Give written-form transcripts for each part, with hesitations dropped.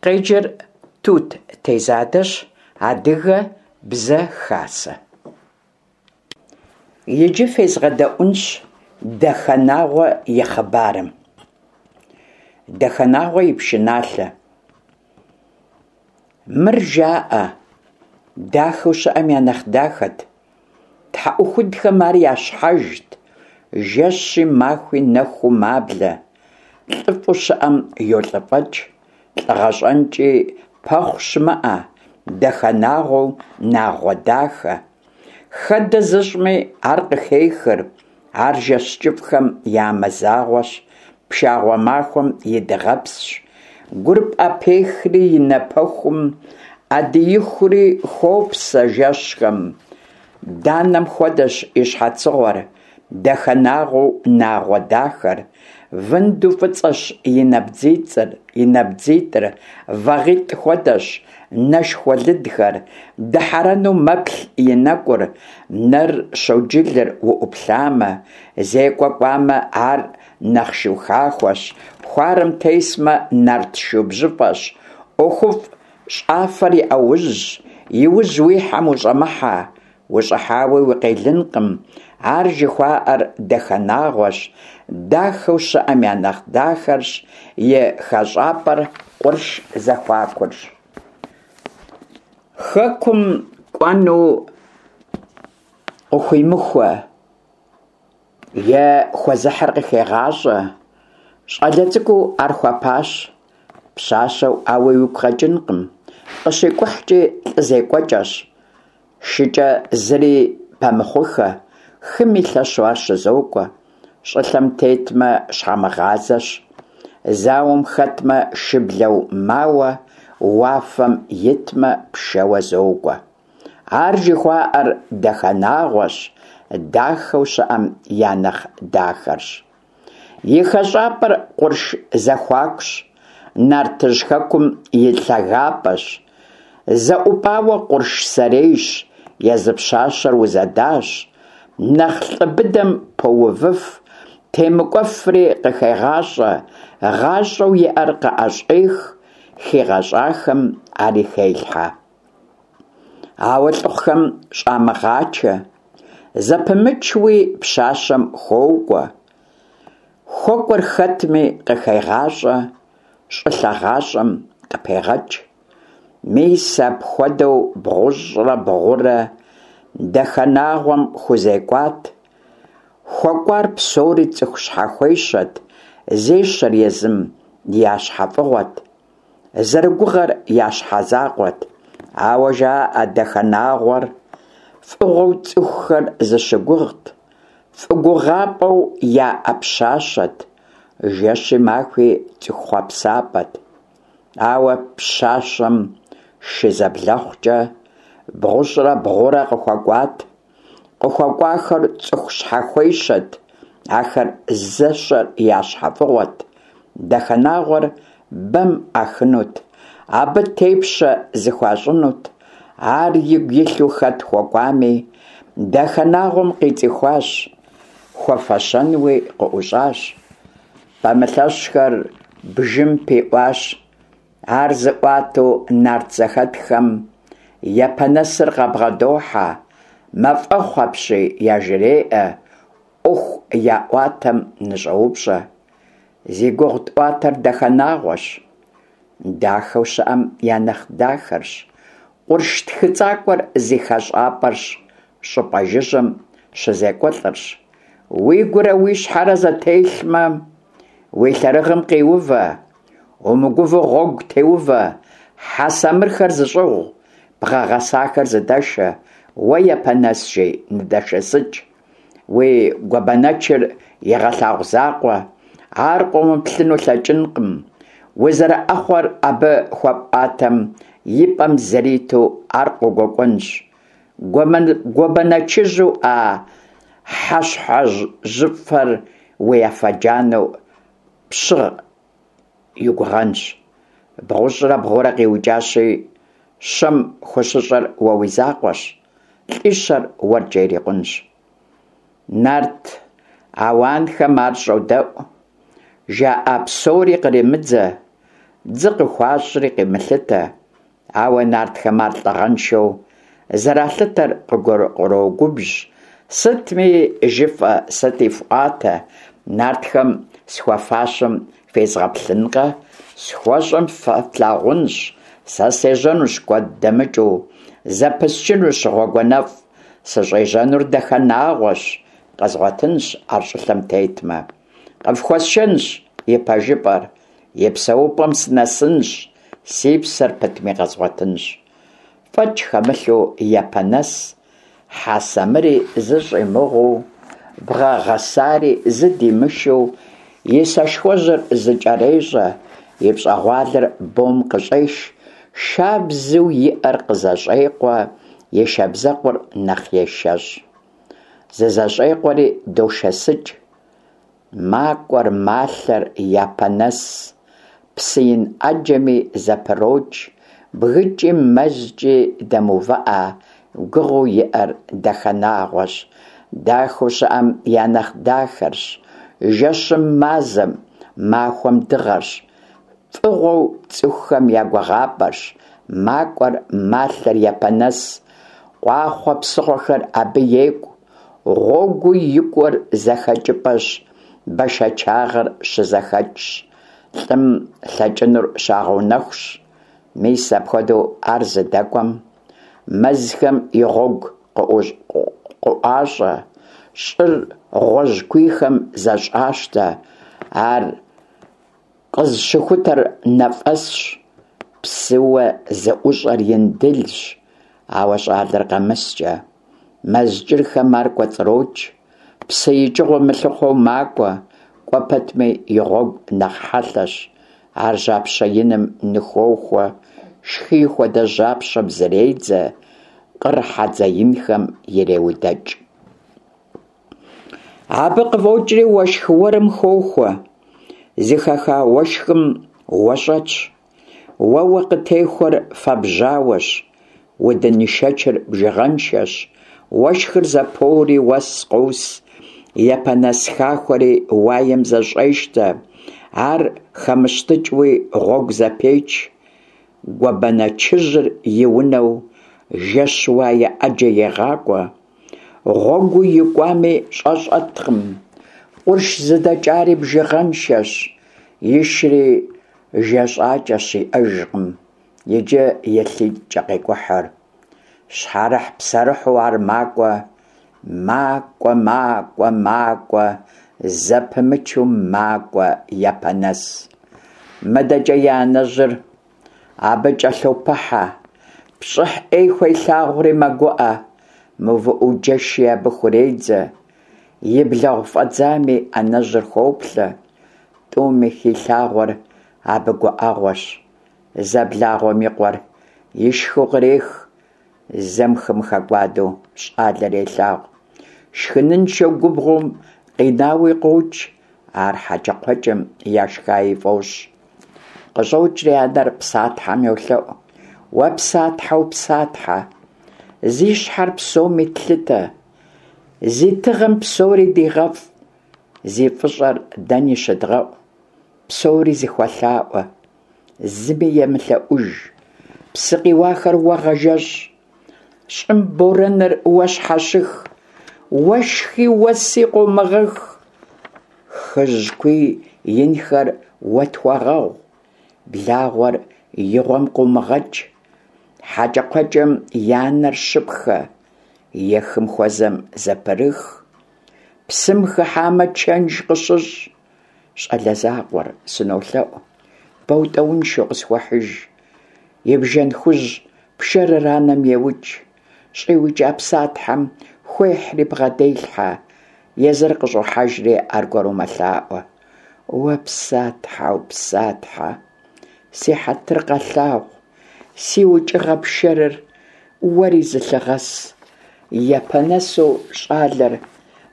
Къеджэр Тут Тезадэщ, Адыгэ бзэ хасэ. Иджы фезгъэдэӏунщ Дахэнагъуэ и хъыбарым. Дахэнагъуэ и пшыналъэ. Мыр жаӏэ, дахэу щыӏэм я нэхъ дахэт. Тхьэӏухудхэм ар я щхьэжт, жэщи махуи нэхуу маблэ, лӏыфӏу щыӏэм йолӏыфӏэкӏ, лӏыгъэ щӏэнкӏи пэхъу щымыӏэ, Дахэнагъуэу нагъуэ дахэ. Хэдэ зыщӏми ар къыхехыр, ар жэщ кӏыфӏхэм я мазагъуэщ, пшагъуэ махуэм и дыгъэпсщ. Гур пӏэпехри и напэхум, ӏэдиихури хуопсэ жэщхэм. Данэм хуэдэщ и щхьэцыгъуэр, Дахэнагъуэу нагъуэ дахэр. Вынду фӏыцӏэщ и набдзицӏыр, и набдзитӏыр, вагъитӏ хуэдэщ, нэшхуэ лыдхэр, дыхьэрэну мэплъ и нэкӏур, нэр щоджылыр уӏуплъамэ, зекӏуэ кӏуамэ, ар нэхъ шу хахуэщ, хуарэм тесмэ, нарт шу бжьыфӏэщ, ӏуэхуфӏ щӏафэр и ӏэужьщ, и ужь уихьэм ущӏэмыхьэ, Ущӏыхьауи укъелынкъым, ар жыхуаӏэр Дахэнагъуэщ, дахэу щыӏэм я нэхъ дахэрщ, и хэщӏапӏэр къурш зэхуакурщ. Хэкум кӏуэну къыхуимыхуэ е хуэзыхьыр къыхегъащӏэ. Щӏалэ цӏыкӏуу ар хуэпащ, пщащэу ауи уигу къэкӏынкъым, къыщикӏухькӏи лӏы зекӏуэкӏэщ. Шыкӏэ зыри пэмыхъуххэ, хыми лъэщу ар щызокӏуэ, щӏылъэм тетмэ, щхьэмыгъазэщ, зауэм хэтмэ, шыблэу мауэ, уафэм итмэ, пшэуэ зокӏуэ. Ар жыхуаӏэр Дахэнагъуэщ, дахэу щыӏэм я нэхъ дахэрщ. И хэщӏапӏэр къурш зэхуакущ, Нартыжь хэкум и лъагапӏэщ. Зэӏупӏауэ къурш сэрейщ, езы пщащэр узэдащ. Нэхъ лӏы быдэм поувыф, темыкӏуэфри къыхегъащӏэ, гъащӏэу иӏэр къыӏэщӏех, хигъэщӏахэм ари хелъхьэ. Ауэ лӏыхъухэм щӏамыгъачэ, зэпымычуи пщащэм хуокӏуэ. Хуэкӏуэр хэтми къыхегъащӏэ, щӏылъэ гъащӏэм къыпегъэкӏ. Мис апхуэдэу бгъущӏрэ бгъурэ Дахэнагъуэм хузекӏуат. Хуэкӏуар псори цӏыху щхьэхуещэт, зещэр езым я щхьэфӏыгъуэт. Зэрыгугъэр я щхьэ закъуэт, ауэ жаӏэ Дахэнагъуэр фӏыгъуэу цӏыхухэр зыщыгугът, фӏы гугъапӏэу яӏэ пщащэт, жэщи махуи цӏыху хъуэпсапӏэт. Ауэ пщащэм шызэблэхъукӏэ бгъущӏрэ бгъурэ къыхуэкӏуат. Къыхуэкӏуахэр цӏыху щхьэхуещэт, ахэр зэщэр я щхьэфӏыгъуэт, Дахэнагъуэр бэм ӏахынут, абы тепщэ зыхуащӏынут, ар игу илъу хэт хуэкӏуами, Дахэнагъуэм къицӏыхуащ, хуэфэщэнуи къыӏущӏащ. Пэмылъэщхэр бжым пиӏуащ, Ар зыӏуатэу нарт зэхэтхэм Япэнэсыр къабгъэдохьэ, Мафӏэхъу апщий яжреӏэ, ӏуэху яӏуатэм ныщӏоупщӏэ. Зи гугъу тӏуатэр Дахэнагъуэщ, дахэу щыӏэм я нэхъ дахэрщ, къурш тхыцӏакӏуэр зи хэщӏапӏэрщ, щӏыпӏэ жыжьэм щызекӏуэлӏырщ. Уигурэ уи щхьэрэ зэтелъмэ, уи лъэрыгъым къиувэ, Умыгувэу гъуэгу теувэ, хьэ самырхэр зыщӏыгъу, бгъэ гъэсахэр зыдэшэ, уэ Япэнэс жи, ныдэшэсыкӏ. Уи гуэбэнэчыр егъэлъагъу закъуэ, ар къомыплъыну лъэкӏынкъым. Узэрыӏэхъуэр абы хуэпӏуатэм, и пӏэм зэриту ар къогуэкӏуэнщ. Гуэбэнэчыжьу а хьэщхьэжьыфэр уи афэ джанэу пщыгъ и гугъэнщ. Бгъущӏрэ бгъурэ къиукӏащи, щэм хущыщӏэр уэ уи закъуэщ, лӏищэр уэркӏэ ирикъунщ. Нарт ауанхэм ар щӏодэӏу, жаӏа псори къремыдзэ. Дзы къыхуащӏри къимылъытэ, ауэ нартхэм ар лӏыгъэншэу зэралъытэр къырогубжь. Сытми жыфӏэ, сыти фӏуатэ, нартхэм схуэфащэм фезгъэплъынкъэ, схуэщӏэм фэ флъагъунщ, сэ сежьэнущ куэд дэмыкӏыу, зэпысчынущ гъуэгуанэфӏ, сыщӏежьэнур Дахэнагъуэщ, къэзгъуэтынщ ар щӏылъэм тетмэ. Къыфхуэсшэнщ и пэжыпӏэр, и псэупӏэм сынэсынщ, си псэр пытми къэзгъуэтынщ. Фӏэкӏ хэмылъу Япэнэс, хьэ самыри зыщӏимыгъуу, бгъэ гъэсари зыдимышэу, и сэшхуэжьыр зыкӏэрещӏэ, и пщӏэгъуалэр бом къыщӏеш, шабзэу иӏэр къызэщӏекъуэ, и шабзэкъур нэхъ ешэщӏ. Зызэщӏекъуэри дошэсыкӏ. Макӏуэр, малъэр Япэнэс, псы ин ӏэджэми зэпрокӏ, бгыкӏи мэзкӏи дэмыувыӏэ, гугъэу иӏэр Дахэнагъуэщ, дахэу щыӏэм я нэхъ дахэрщ, жэщым мазэм, махуэм дыгъэрщ, фӏыгъуэу цӏыхухэм я гугъапӏэрщ, макӏуэр, малъэр Япэнэс, къуахъуэ псыгъуэхэр абы екӏу, Гъуэгуу икӏуэр зэхэкӏыпӏэщ, бэшэчагъэр щызэхэкӏщ, лӏым лъэкӏынур щагъэунэхущ. Мис апхуэдэу ар зыдэкӏуэм мэзхэм и гъуэгу къыӏуащӏэ, щӏыр гъуэжькуийхэм зэщӏащтэ, ар къызыщыхутэр Нафӏэсщ, псыуэ зыӏущӏэр Индылщ, ауэ щӏалэр къэмыскӏэ. Мэз кӏырхэм ар кӏуэцӏрокӏ, псы икӏыгъуэ мылъыхъуэу макӏуэ, кӏуэ пэтми и гъуэгу нэхъ хьэлъэщ. Ар жьапщэ иным ныхуохуэ, шхий хуэдэ жьапщэм зредзэ, къыр хьэдзэ инхэм иреудэкӏ. Абы къыфӏокӏри уэшх уэрым хохуэ, зыхэха уэшхым уэ щӏэтщ. Уэуэ къытехуэр фэбжьауэщ, удын ишэчыр бжыгъэншэщ, уэшхыр зэпоури уэс къос, Япэнэс хахуэри уаем зэщӏещтэ, ар хэмыщтыкӏыуи гъуэгу зэпеч, гуэбэнэчыжьыр и унэу жэщ уае ӏэджэ егъакӏуэ, гъуэгуу икӏуами щӏэ щӏэткъым, къурш зыдэкӏари бжыгъэншэщ, ишри Жэщӏакӏэщ иӏэжкъым, иджы и лъитӏкӏэ къекӏухьыр. Щхьэрыхь-псэрыхьу ар макӏуэ, макӏуэ, макӏуэ, макӏуэ, зэпымычу макӏуэ Япэнэс. Мыдэкӏэ и анэжьыр абы кӏэлъопыхьэ, пщӏыхь ӏей хуелъагъури мэгуӏэ, мыувыӏэу джэши абы хуредзэ. И блэгъу фӏэдзами анэжьыр хоплъэ, Тӏуми хилъагъуэр абы гуӏэгъуэщ. Зэ благъуэм и къуэр ишхыу кърех, зэм хым хэкӏуадэу щӏалэр елъагъу. Шхыныншэу губгъуэм къинауи къокӏ, ар хьэкӏэкхъуэкӏэм яшхаи фӏощӏ. Къыщӏокӏри анэр Псатхьэм йолъэӏу: Уэ Псатхьэу Псатхьэ, зи щхьэр псоми тлъытэ, зи тыгъэм псори дигъэфӏ, Зи фӏыщӏэр дэни щыдгъэӏу, псори зыхуэлъаӏуэ, зыми емылъэӏуж, псы къиуахэр уэ гъэжэщӏ, щӏым борэныр уэ щхьэщых, уэшхи уэси къомыгъэх, хыжькуий инхэр уэ тхуэгъэгъу, благъуэр и гъуэм къыумыгъэкӏ, хьэкӏэкхъуэкӏэм я нэр щыпхэ, е хым хуэзэм зэпрых. Псым хыхьамэ, чэнж къыщыщӏ. Щӏалэ закъуэр, сынолъэӏу, бэутӏэуншэу къысхуэхьыж. И бжэн хужь пшэрыр анэм еукӏ. Щӏиукӏа Псатхьэм хуехьри бгъэделъхьэ. Езыр къыщӏохьэжри аргуэру мэлъаӏуэ. Уэ Псатхьэу, Псатхьэ, си хьэтыр къэлъагъу, си укӏыгъэ пшэрыр уэри зылъыгъэс. Япэнэсу щӏалэр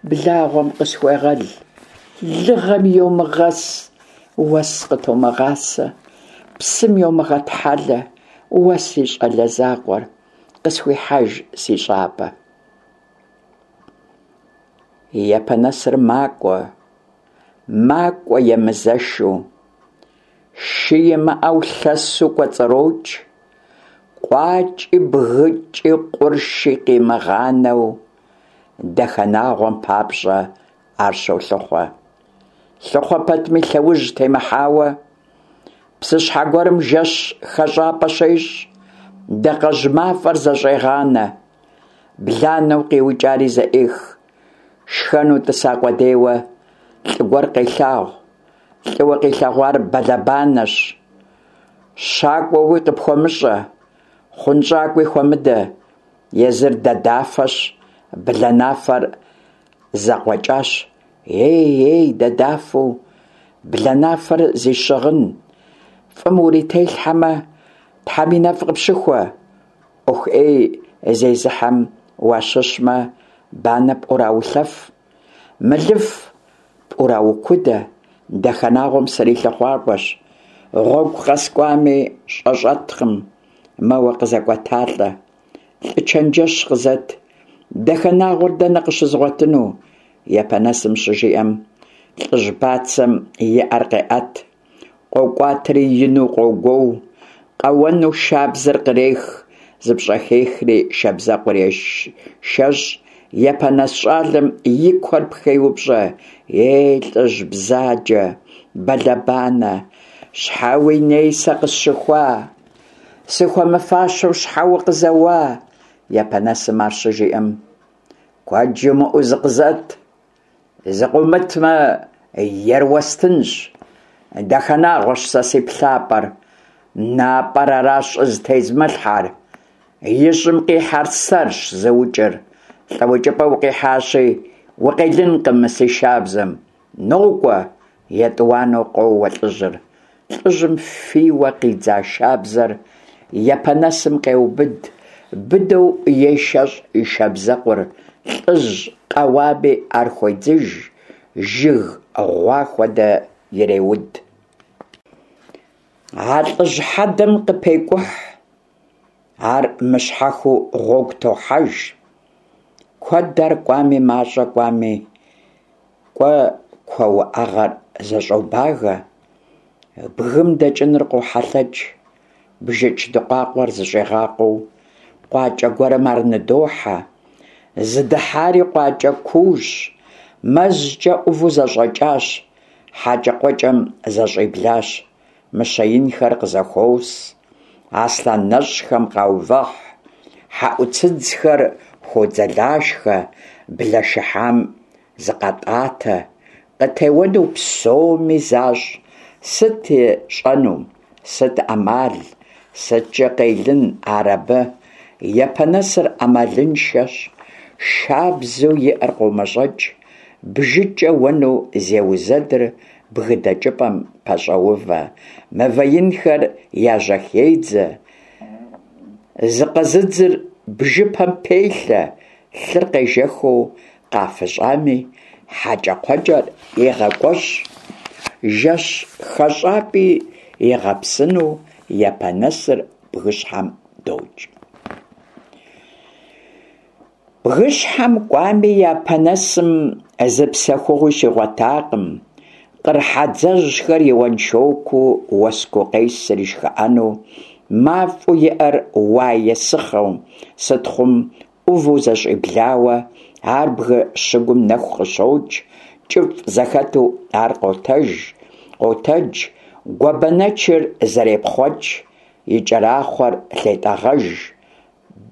благъуэм къысхуегъэл, лыгъэм йомыгъэс, уэс къытомыгъасэ, псым йомыгъэтхьэлэ, уэ си щӏалэ закъуэр къысхуихьэж си щӏапӏэ. Япэнэсыр макӏуэ, макӏуэ емызэшу. Шы имыӏэу лъэсу кӏуэцӏрокӏ, къуакӏи бгыкӏи къурши къимыгъанэу, Дахэнагъуэм папщӏэ ар щолъыхъуэ. Лъыхъуэ пэтми лъэужь темыхьауэ, псыщхьэ гуэрым жэщ хэщӏапӏэ щещӏ, дакъэжь мафӏэр зэщӏегъанэ, бланэу къиукӏари зэӏех. Шхэну тӏыса къудейуэ лӏы гуэр къелъагъу. Лӏыуэ къилъэгъуар бэлэбанэщ. Щакӏуэуи къыпхуэмыщӏэ, хъунщӏакӏуи хуэмыдэ, езыр дадафэщ, бланафэр зэкъуэкӏащ. Ей, ей, дадафэу, бланафэр зи щыгъын, фӏым урителъхьэмэ, Тхьэм и нэфӏ къыпщыхуэ. ӏуэху ӏей зезыхьэм уащыщмэ, банэ пӏураулъэф, мылыф пӏураукудэ, Дахэнагъуэм срилъыхъуакӏуэщ. Гъуэгу къэскӏуами, щӏэ щӏэткъым, мэуэ къызэкӏуэталӏэ. Лӏы чэнджэщ къызэт, Дахэнагъуэр дэнэ къыщызгъуэтыну? Япэнэсым щыжиӏэм, лӏыжь бацэм и ӏэр къеӏэт. Къокӏуатэри ину къогуоу, къэуэну шабзэр кърех, зыпщӏэхехри шабзэкъур ешэщӏ. Япэнэс щӏалэм и куэр пхеупщӏэ: Ей, лӏыжь бзаджэ, бэлэбанэ, щхьэ уи ней сэ къысщыхуа? Сыхуэмыфащэу щхьэ укъызэуа? Япэнэсым ар щыжиӏэм: Куэд жумыӏэу зыкъызэт. Зыкъыумытмэ, ер уэстынщ. Дахэнагъуэщ сэ си плъапӏэр. Напӏэр аращ щӏызытезмылъхьэр. И щӏым къихьэр сэрщ зыукӏыр. Лӏыукӏыпӏэ укъихьащи, укъелынкъым мы си шабзэм. Нокӏуэ! Етӏуанэу къоуэ лӏыжьыр. Лӏыжьым фийуэ къидза шабзэр Япэнэсым къеубыд, быдэу ешэщӏ и шабзэкъур, лӏыжь къэуами ар хуедзыж, жыг гъуа хуэдэ иреуд. А лӏыжь хьэдэм къыпекӏухь, ар мыщхьэхыу гъуэгу тохьэж. Куэд ар кӏуами, мащӏэ кӏуами, Кӏуэ куэ уӏэгъэр зэщӏобагэ, бгым дэкӏыныр къохьэлъэкӏ, бжыкӏ дыкъуакъуэр зыщӏигъакъуэу къуакӏэ гуэрым ар ныдохьэ. Зыдыхьари къуакӏэ куущ, мэзкӏэ ӏуву зэщӏэкӏащ, хьэкӏэкхъуэкӏэм зэщӏиблащ, мыщэ инхэр къызэхуос, аслъэн нэщӏхэм къаувыхь, хьэӏуцыдзхэр хуодзэлашхэ, блэ шыхьам Зыкъатӏатэ, къытеуэну псоми защӏ, сыт ищӏэну, сыт ӏэмал, сыткӏэ къелын ар абы? Япэнэсыр ӏэмалыншэщ, шабзэу иӏэр къомэщӏэкӏ, бжыкӏэ уэну зеузэдыр бгы дэкӏыпӏэм пэщӏэувэ, мывэ инхэр яжьэхедзэ, зыкъэзыдзыр бжыпэм пелъэ, лъыр къежэхыу Къафыщӏами, хьэкӏэкхъуэкӏэр егъэкӏуэщӏ, жэщ хэщӏапӏи игъэпсыну Япэнэсыр бгыщхьэм докӏ. Бгыщхьэм кӏуами, Япэнэсым зы псэхугъуи щигъуэтакъым, къыр хьэдзэжьхэр и уэншокуу уэску къесыр и шхыӏэну, мафӏэу иӏэр уае сыхъэу, сытхъум ӏуву зэщӏиблауэ, ар бгы щыгум нэху къыщокӏ, кӏыфӏ зэхэту ар къотэж, къотэдж, гуэбэнэчыр зэрепхъуэкӏ, и кӏэрахъуэр лъетӏэгъэж,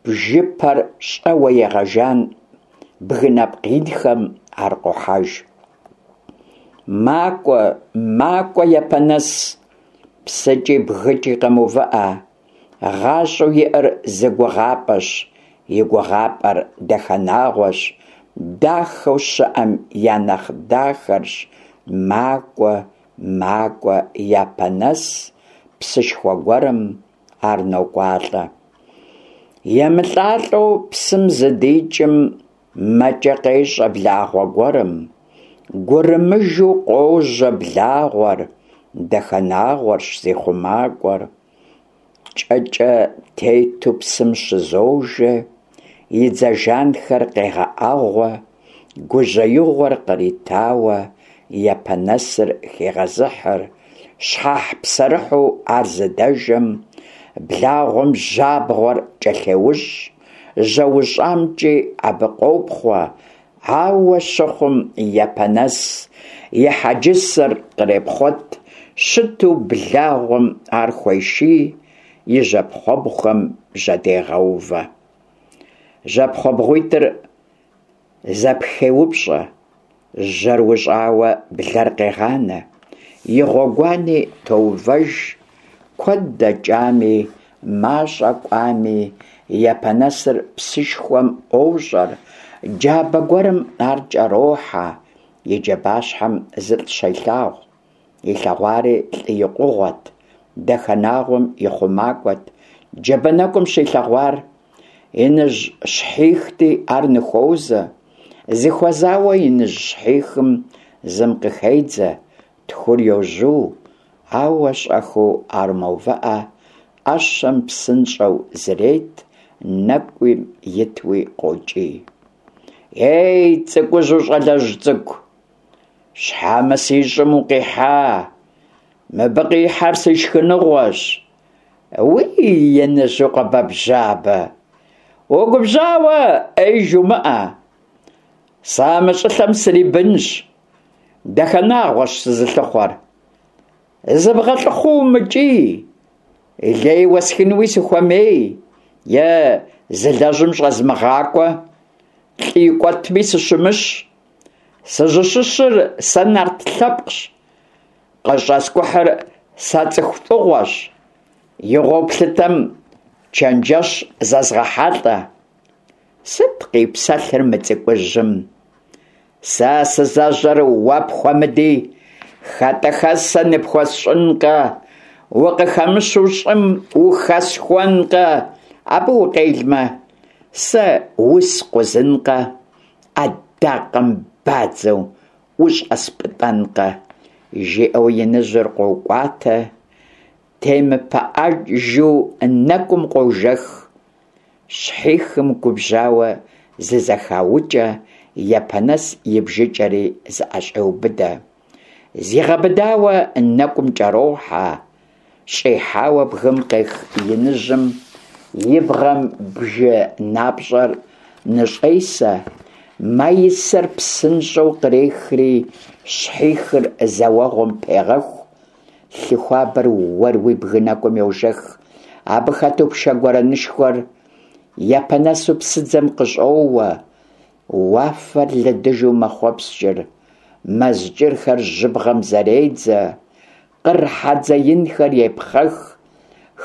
бжыпэр щӏэуэ егъэжан, бгы нэпкъ инхэм ар къохьэж. Макӏуэ, макӏуэ Япэнэс, псыкӏи бгыкӏи къэмыувыӏэ. Гъащӏэу иӏэр зы гугъапӏэщ, и гугъапӏэр Дахэнагъуэщ, дахэу щыӏэм я нэхъ дахэрщ, макӏуэ, макӏуэ Япэнэс, псышхуэ гуэрым ар нокӏуалӏэ. Емылӏалӏэу псым зыдикӏым, мэкӏэ къещӏэ благъуэ гуэрым, гурымыжу къожьэ благъуэр, Дахэнагъуэрщ зи хъумакӏуэр. Кӏэкӏэ тету псым щызожэ, и дзэ жанхэр къегъэӏэгъуэ, гужьеигъуэр къритауэ Япэнэсыр хегъэзыхьыр. Щхьэхь-псэрыхьу ар зыдэжэм, благъуэм жьабгъуэр кӏэлъеущӏ, жьэущӏамкӏи абы къопхъуэ, ауэ щыхъум Япэнэс и хьэджысэр кърепхъуэт, щыту благъуэм ар хуеший, и жьэпхъуэбгъухэм жьэдегъэувэ. Жьэпхъуэбгъуитӏыр зэпхеупщӏэ, жьэр ущӏауэ блэр къегъанэ, и гъуэгуани тоувэж, куэд дэкӏами, мащӏэ кӏуами, Япэнэсыр псышхуэм ӏуощӏэр, джабэ гуэрым ар кӏэрохьэ, и джабащхьэм зылӏ щелъагъу. Илъэгъуари лӏы икъугъуэт, Дахэнагъуэм и хъумакӏуэт, джабэ нэкӏум щилъэгъуар. Иныжь щхьихти ар ныхуозэ. Зыхуэзауэ иныжь щхьихым зым къыхедзэ, тхур йожьу, ауэ щӏэхыу ар мэувыӏэ, ӏэщэм псынщӏэу зрет, нэкӏум итуи къокӏий. Ей, цӏыкӏужьу щӏалэжь цӏыкӏу! Щхьэ мы си щӏым укъихьа? Мыбы къихьэр си шхыныгъуэщ. Уи, иныжьу къэбэбжьабэ! Угубжьауэ, ӏей жумыӏэ. Сэ мы щӏылъэм срибынщ, Дахэнагъуэщ сызылъыхъуэр. Зыбгъэлӏыхъуу умыкӏий, лей уэсхынуи сыхуэмей, е зылэжьым щӏэзмыгъакӏуэ, лӏы икӏуэтми сыщымыщ. Сызыщыщыр сэ нарт лъэпкъщ, къыщӏэскӏухьыр сэ цӏыху фӏыгъуэщ. Игъуэу плъытэм чэнджэщ зэзгъэхьэлӏэ. Сыт къипсэлъыр мы цӏыкӏужьым? Сэ сызэжьэр уэ пхуэмыди, хэтӏэхэсэ ныпхуэсщӏынкъэ, укъыхэмыщу щӏым ухэсхуэнкъэ, абы укъелмэ, сэ ускъузынкъэ, ӏэдакъэм бадзэу ущӏэспӏытӏэнкъэ, жиӏэу иныжьыр къокӏуатэ, темыпыӏэжу нэкӏум къожэх. Щхьихым губжьауэ зызэхаукӏэ, Япэнэс и бжыкӏэри зыӏэщӏеубыдэ. Зигъэбыдауэ нэкӏум кӏэрохьэ, щӏихьауэ бгым къех иныжьым и бгъэм бжы напщӏэр ныщӏесэ, маисэр псынщӏэу кърехри, щхьихыр зэуэгъуэм пегъэху, лъы хуабэр уэруи бгы нэкӏум йожэх. Абы хэту пшэ гуэрэнышхуэр Япэнэсу псыдзэм къыщӏоуэ, Уафэр лыдыжу мэхъуэпскӏыр, мэз кӏырхэр жьыбгъэм зэредзэ, къыр хьэдзэ инхэр епхъэх,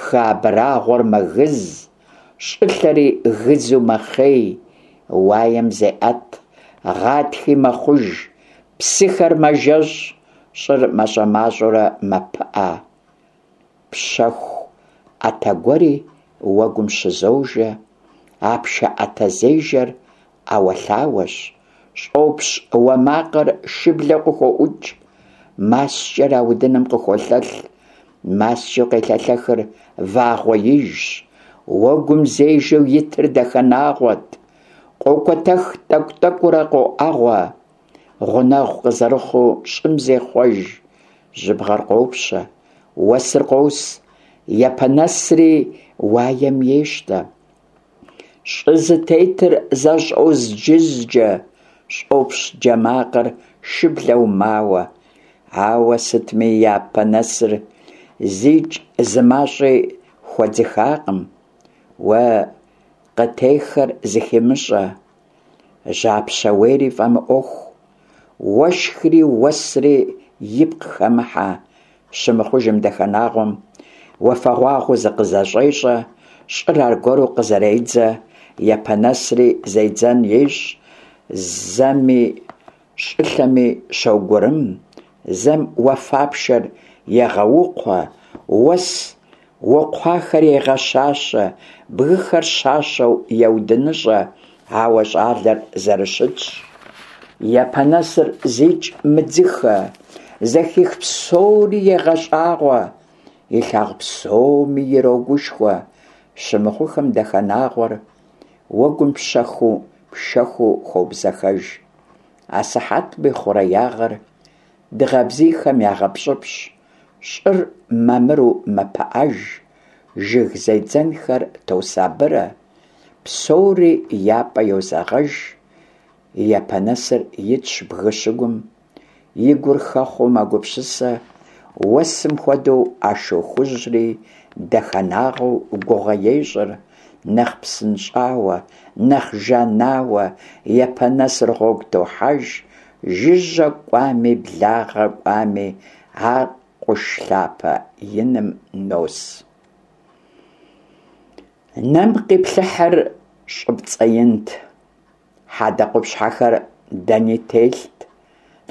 хы абрагъуэр мэгыз, щӏылъэри гызу мэхъей, уаем зеӏэт, гъатхи мэхъуж, псыхэр мэжэщӏ, щӏыр мащӏэ-мащӏэурэ мэпыӏэ. Пщэху ӏэтэ гуэри уэгум щызожэ, а пшэ ӏэтэзежэр ӏэуэлъауэщ, щӏопщ уэ макъыр шыблэу къыхоӏукӏ, маскӏэр аудыным къыхуолъэлъ, маскӏэу къелъэлъэхыр вагъуэ ижщ, уэгум зежэу итыр Дахэнагъуэт, къокӏуэтэх тӏэкӏу-тӏэкӏуурэ къоӏэгъуэ. Гъунэгъу къызэрыхъуу щӏым зехъуэж, жьыбгъэр къопщэ, уэсыр къос, Япэнэсри уаем ещтэ. Щӏы зытетыр зэщӏозджызджэ, щӏопщ джэ макъыр шыблэу мауэ. Ауэ сытми Япэнэсыр зикӏ зы мащӏи хуэдзыхакъым. Уэ къытехэр зыхимыщӏэ. Жьапщэ уейри фӏэмыӏуэху, уэшхри уэсри ипкъ хэмыхьэ, щымыхъужым Дахэнагъуэм уафэгъуагъуэу зыкъызэщӏещӏэ, щӏыр аргуэру къызэредзэ, Япэнэсри зедзэн ещӏ, зэми щӏылъэми щогурым, зэм уафапшэр егъэукхъуэ, уэс Укхъуахэр егъэщащэ, бгыхэр щащэу еудыныщӏэ, ауэ щӏалэр зэрыщытщ. Япэнэсыр зикӏ мыдзыхэ, зэхих псори егъэщӏагъуэ, илъагъу псоми ирогушхуэ. Щымыхъухэм Дахэнагъуэр уэгум пщэхуу пшэхуу хобзэхэж. Асыхьэтми хъуреягъэр дыгъэ бзийхэм ягъэпщӏыпщӏ. Щӏыр мамыру мэпыӏэж, жыг зедзэнхэр тосабырэ, псори я пӏэ йозэгъэж, Япэнэсыр итщ бгы щыгум, и гур хэхъуэу мэгупсысэ, уэсым хуэдэу а шу хужьри Дахэнагъуэу гугъэ ещӏыр, нэхъ псынщӏауэ, нэхъ жанауэ Япэнэсыр гъуэгу тохьэж, жыжьэ кӏуами, благъэ кӏуами, ар къурш лъапэ иным нос. Нэм къиплъыхьыр щӏыпцӏэ инт. Хьэдэ къупщхьэхэр дэни телът,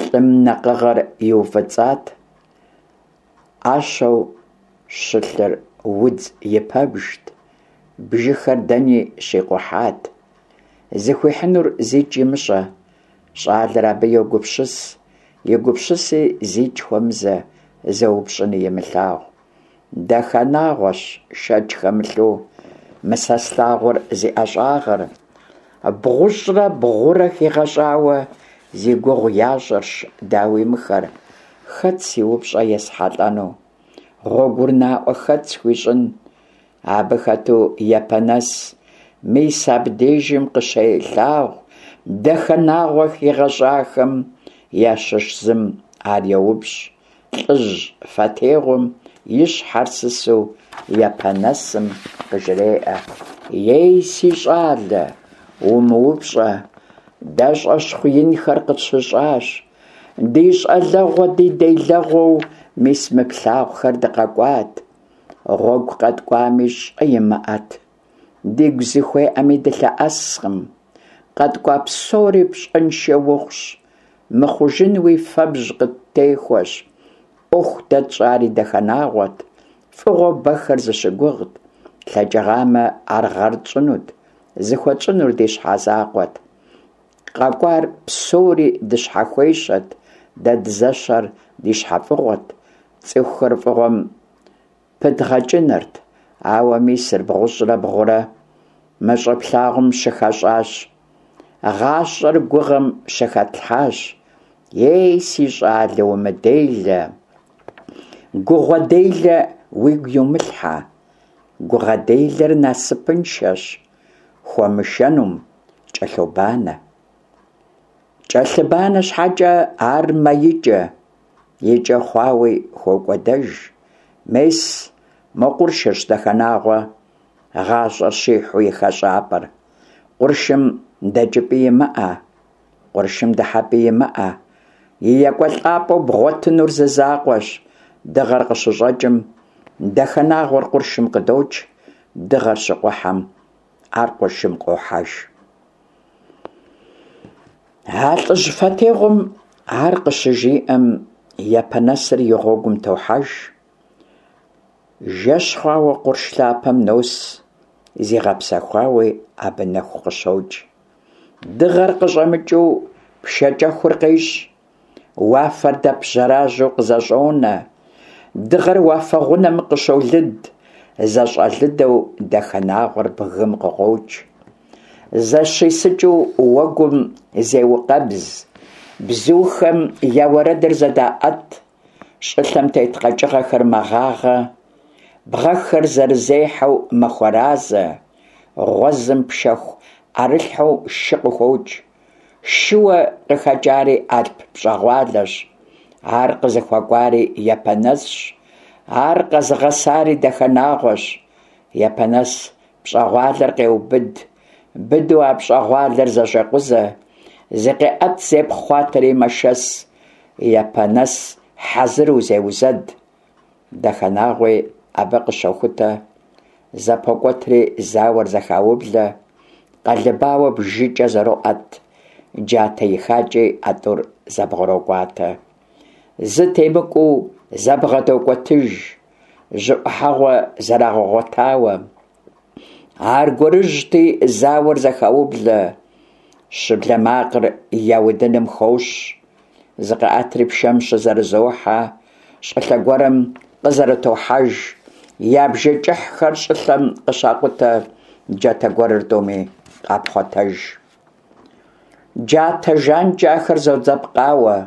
лӏым накъыгъэр иуфӏыцӏат, ӏэщэу щылъыр удз и пэбжт, бжыхэр дэни щикъухьат. Зыхуихьынур зикӏ имыщӏэ, щӏалэр абы йогупсыс, и гупсыси зикӏ хуэмызэ, зэупщӏыни имылъагъу. Дахэнагъуэщ, шэч хэмылъу, мы сэ слъагъур зи ӏэщӏагъэр. Бгъущӏрэ бгъурэ хигъэщӏауэ зи гугъу ящӏырщ, дауи, мыхэр. Хэт си упщӏэ есхьэлӏэну? Гъуэгур наӏуэ хэт схуищӏын? Абы хэту Япэнэс мис абдежым къыщелъагъу Дахэнагъуэ хигъэщӏахэм ящыщ зым ар еупщӏ. Лӏыжь фэтегъум и щхьэр сысу Япэнэсым къыжреӏэ: Ей, си щӏалэ, умыупщӏэ, дэ щӏэщхъу инхэр къытщыщӏащ. Ди щӏалэгъуэ, ди делэгъуэу мис мы плъагъухэр дыкъэкӏуат. Гъуэгу къэткӏуами щӏэ имыӏэт. Дигу зыхуеӏэми дылъэӏэскъым. Къэткӏуа псори пщӏэншэ ухъущ, мыхъужынуи фэбжь къыттехуэщ. ӏуэху дэ тщӏари Дахэнагъуэт, фӏыгъуэ бэхэр зыщыгугът, тлъэкӏыгъамэ, ар гъэр тщӏынут, зыхуэтщӏынур ди щхьэ закъуэт. Къэкӏуар псори дыщхьэхуещэт, дэ дызэщэр ди щхьэфӏыгъуэт, цӏыхухэр фӏыгъуэм пыдгъэкӏынырт, ауэ мисыр бгъущӏрэ бгъурэ мы щӏы плъагъум щыхэщӏащ. Гъащӏэр гугъэм щыхэтлъхьащ. Ей, си щӏалэ, умыделэ, гугъэ делэ уигу иумылъхьэ. Гугъэ делэр насыпыншэщ, хуэмышэнум кӏэлъобанэ. Кӏэлъыбанэ щхьэкӏэ ар мэикӏэ, икӏэ хъуауи хокӏуэдэж. Мес, мо къуршырщ Дахэнагъуэ гъащӏэр щихьу и хэщӏапӏэр. Къуршым дэкӏыпӏи имыӏэ, къуршым дыхьэпӏи имыӏэ. И екӏуэлӏапӏэу бгъуэтынур зы закъуэщ. Дыгъэр къыщыщӏэкӏым, Дахэнагъуэр къуршым къыдокӏ, дыгъэр щыкъухьэм, ар къуршым къохьэж. А лӏыжь фэтегъум ар къыщыжиӏэм, Япэнэсыр и гъуэгум тохьэж. Жэщ хъуауэ къурш лъапэм нос, зигъэпсэхуауи абы нэху къыщокӏ. Дыгъэр къыщӏэмыкӏыу пшэкӏэхур къещӏ. Уафэр дэп жьэражьэу къызэщӏонэ. Дыгъэр уафэ гъунэм къыщолыд, зэщӏэлыдэу Дахэнагъуэр бгым къыкъуокӏ. Зэщисыкӏыу уэгум зеукъэбз, бзухэм я уэрэдыр зэдаӏэт, щӏылъэм тет къэкӏыгъэхэр мэгъагъэ, бгъэхэр зэрызехьэу мэхуэразэ, гъуэзым пшэху ӏэрылъхьэу шы къыхокӏ. Шыуэ къыхэкӏари алъп пщӏэгъуалэщ, ар къызыхуэкӏуари Япэнэсщ, ар къэзыгъэсари Дахэнагъуэщ. Япэнэс пщӏэгъуалэр къеубыд, быдэу а пщӏэгъуалэр зэщӏекъузэ, зыкъеӏэт, зепхъуатэри мэшэс, Япэнэс хьэзыру зеузэд. Дахэнагъуи абы къыщохутэ, зэпокӏуэтри зауэр зэхаублэ, къэлыбауэ бжыкӏэ зэроӏэт, джатэ ихакӏи а тӏур зэбгъурокӏуатэ. Зы темыкӏуу зэбгъэдокӏуэтыж, жьы ӏухьэгъуэ зэрагъэгъуэтауэ. Аргуэрыжьти, зауэр зэхаублэ, щыблэ макъыр я удыным хощӏ, зыкъаӏэтри пшэм щызэрызохьэ, щӏылъэ гуэрым къызэрытохьэж, я бжы кӏыхьхэр щӏылъэм къыщакъутэ, джатэ гуэрыр тӏуми къапхъуэтэж. Джатэ жанкӏэ ахэр зодзэпкъауэ,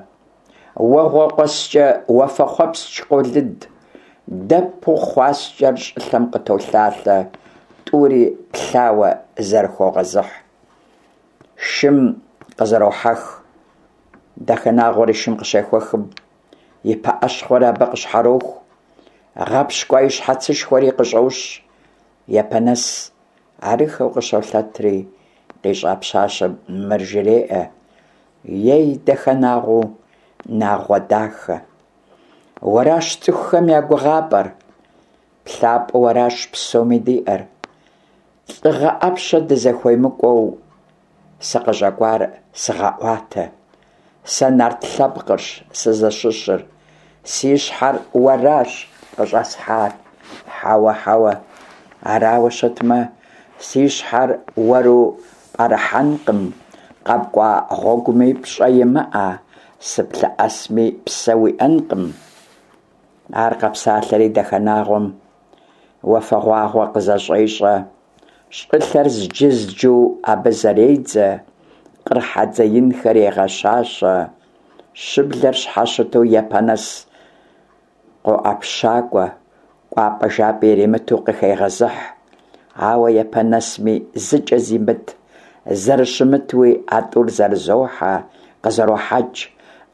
уэгъуэ къуэскӏэ уафэхъуэпскӏ къолыд. Дэпу хъуаскӏэр щӏылъэм къытолъалъэ, тӏури плъауэ зэрыхогъэзыхь. Шым къызэрохьэх. Дахэнагъуэр и шым къыщехуэхым, и пыӏэщхъуэр абы къыщхьэроху, гъэпщкӏуа и щхьэцышхуэри къыщӏощ. Япэнэс арыххэу къыщолъэтри, къищӏа пщащэм мыр жреӏэ: Ей, Дахэнагъуэу нагъуэ дахэ! Уэращ цӏыхухэм я гугъапӏэр, плъапӏэу уэращ псоми диӏэр. Лӏыгъэ ӏэпщэ дызэхуемыкӏуэу сыкъыщӏэкӏуар сыгъэӏуатэ. Сэ нарт лъэпкъырщ сызыщыщыр, си щхьэр уэращ къыщӏэсхьар. Хьэуэ, хьэуэ, арауэ щытмэ, си щхьэр уэру пӏэрыхьэнкъым, къэпкӏуа гъуэгуми пщӏэ имыӏэ, сыплъэӏэсми псэ уиӏэнкъым. Ар къэпсалъэри Дахэнагъуэм уафэгъуагъуэ къызэщӏещӏэ, щӏылъэр зджызджу абы зэредзэ, къыр хьэдзэ инхэр егъэщащэ, щыблэр щхьэщыту Япэнэс къоӏэпщакӏуэ, кӏуапӏэ-жапӏи иримыту къыхегъэзыхь. Ауэ Япэнэсми зыкӏэ зимыт, зэрыщымытуи а тӏур зэрызохьэ, къызэрохьэкӏ,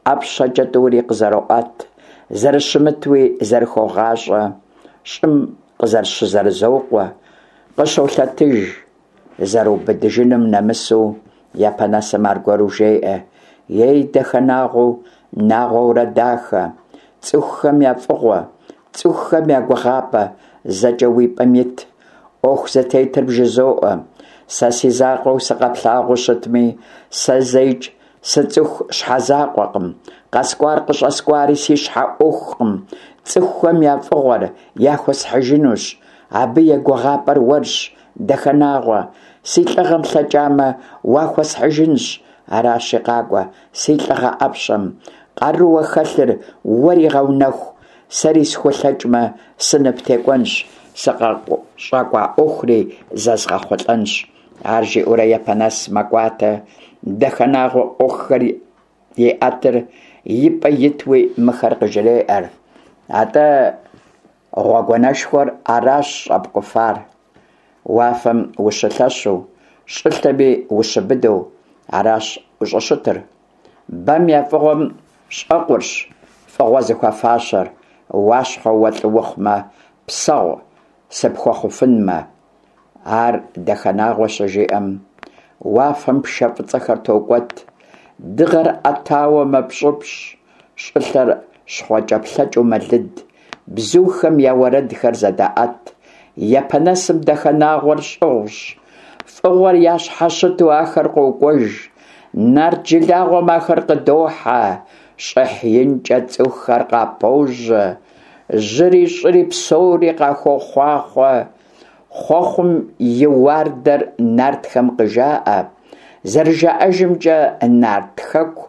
ӏэпщэкӏэ тӏури къызэроӏэт, зэрыщымытуи зэрыхогъащӏэ, щӏым къызэрыщызэрызокъуэ, къыщолъэтыж. Зэрыубыдыжыным нэмысу Япэнэсым аргуэру жеӏэ, Ей, Дахэнагъуэу, нагъуэурэ дахэ, цӏыхухэм я фӏыгъуэ, цӏыхухэм я гугъапӏэ, зэкӏэ уи пӏэм ит, ӏуэху зытетыр бжызоӏэ. Сэ си закъуэу сыкъэплъагъуу щытми, сэ зэикӏ сыцӏыху щхьэзакъуэкъым, къэскӏуар къыщӏэскӏуари си щхьэ ӏуэхукъым, цӏыхухэм я фӏыгъуэр яхуэсхьыжынущ, абы и гугъапӏэр уэрщ, Дахэнагъуэ, си лӏыгъэм лъэкӏамэ, уахуэсхьыжынщ, аращи, къакӏуэ, си лӏыгъэ ӏэпщэм, къарууэ хэлъыр уэри гъэунэху, сэри схулъэкӏмэ, сыныптекӏуэнщ, сыкъыщӏэкӏуа ӏуэхури зэзгъэхъулӏэнщ. Ар жиӏэурэ Япэнэс мэкӏуатэ, Дахэнагъуэ ӏуэхухэр еӏэтыр, и пӏэ итуи мыхэр къыжреӏэр. Атӏэ, Гъуэгуанэшхуэр аращ щӏэпкӏуфар. Уафэм ущылъэщу, щӏылъэми ущыбыдэу аращ ущӏыщытыр. Бэм я фӏыгъуэм щӏэкъурщ фӏыгъуэ зыхуэфащэр, Уащхъуэ уэ лӏы ухъумэ, псэгъу сыпхуэхъуфынмэ. Ар Дахэнагъуэ щыжиӏэм, уафэм пшэ фӏыцӏэхэр токӏуэт, дыгъэр ӏэтауэ мэпщӏыпщӏ, щӏылъэр щхъуэкӏэплъэкӏэу мэлыд, бзухэм я уэрэдхэр зэдаӏэт, Япэнэсым Дахэнагъуэр щӏыгъущ, фӏыгъуэр ящхьэщыту ахэр къокӏуэж, нарт жылагъуэм ахэр къыдохьэ, щӏыхь инкӏэ цӏыхухэр къапожьэ, жьыри щӏыри псори къахуохъуахъуэ. Хъуэхъум и уардэр нартхэм къыжаӏэ. Зэрыжаӏэжымкӏэ, нарт хэку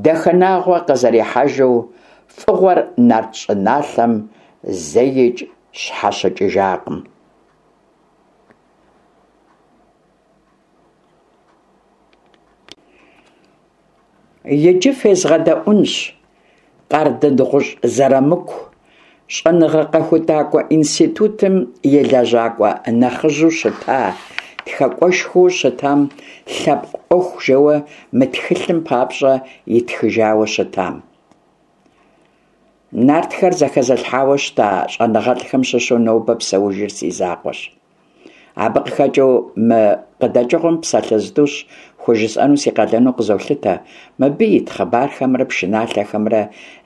Дахэнагъуэ къызэрихьэжу фӏыгъуэр нарт щӏыналъэм зэикӏ щхьэщыкӏыжакъым. Иджы фезгъэдэӏунщ Къардэнгъущӏ Зырамыку щӏэныгъэ-къэхутакӏуэ институтым и лэжьакӏуэ нэхъыжьу щыта, тхакӏуэшхуэу щытам лъэпкъ ӏуэху жэуэ мы тхылъым папщӏэ итхыжауэ щытам. Нартхэр зэхэзылъхьауэ щыта щӏэныгъэлӏхэм щыщу нобэ псэужыр си закъуэщ. Абы къыхэкӏыу мы къыдэкӏыгъуэм псалъэ зытӏущ хужысӏэну си къалэну къызолъытэ, мыбы ит хъыбархэмрэ пшыналъэхэмрэ